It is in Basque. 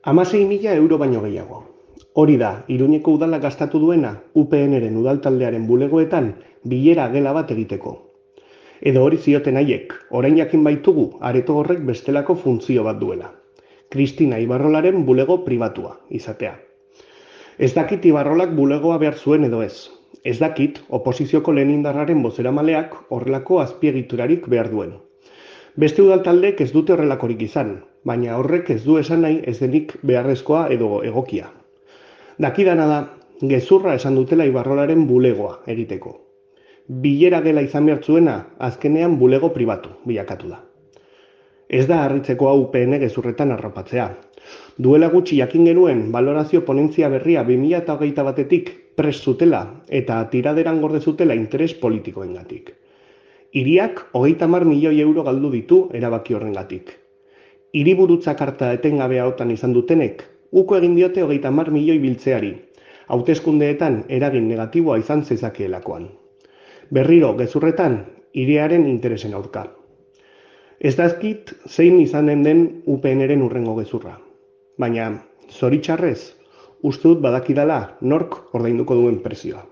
€16.000 baino gehiago. Hori da, Iruñeko udalak gastatu duena UPNren udaltaldearen bulegoetan bilera gela bat egiteko. Edo hori zioten haiek, orain jakin baitugu areto horrek bestelako funtzio bat duela. Kristina Ibarrolaren bulego pribatua izatea. Ez dakit Ibarrolak bulegoa behar zuen edo ez. Ez dakit oposizioko lehen indarraren bozeramaleak horrelako azpiegiturarik behar duen. Beste udaltaldek ez dute horrelakorik izan, baina horrek ez du esan nahi ez denik beharrezkoa edo egokia. Dakidana da, gezurra esan dutela Ibarrolaren bulegoa egiteko. Bilera gela izan behar zuena, azkenean bulego pribatu bilakatu da. Ez da harritzeko hau UPN gezurretan arropatzea. Duela gutxi jakin genuen balorazio ponentzia berria 2021etik prest zutela eta tiraderan gorde zutela interes politikoengatik. Hiriak €30.000 galdu ditu erabaki horrengatik. Hiriburutza karta etengabea otan izan dutenek, uko egin diote €30.000 biltzeari, hauteskundeetan eragin negatiboa izan zezakeelakoan. Berriro gezurretan, hiriaren interesen aurka. Ez dakit zein izanen den UPNren hurrengo gezurra. Baina, zoritxarrez, uste dut badakidala nork ordainduko duen prezioa.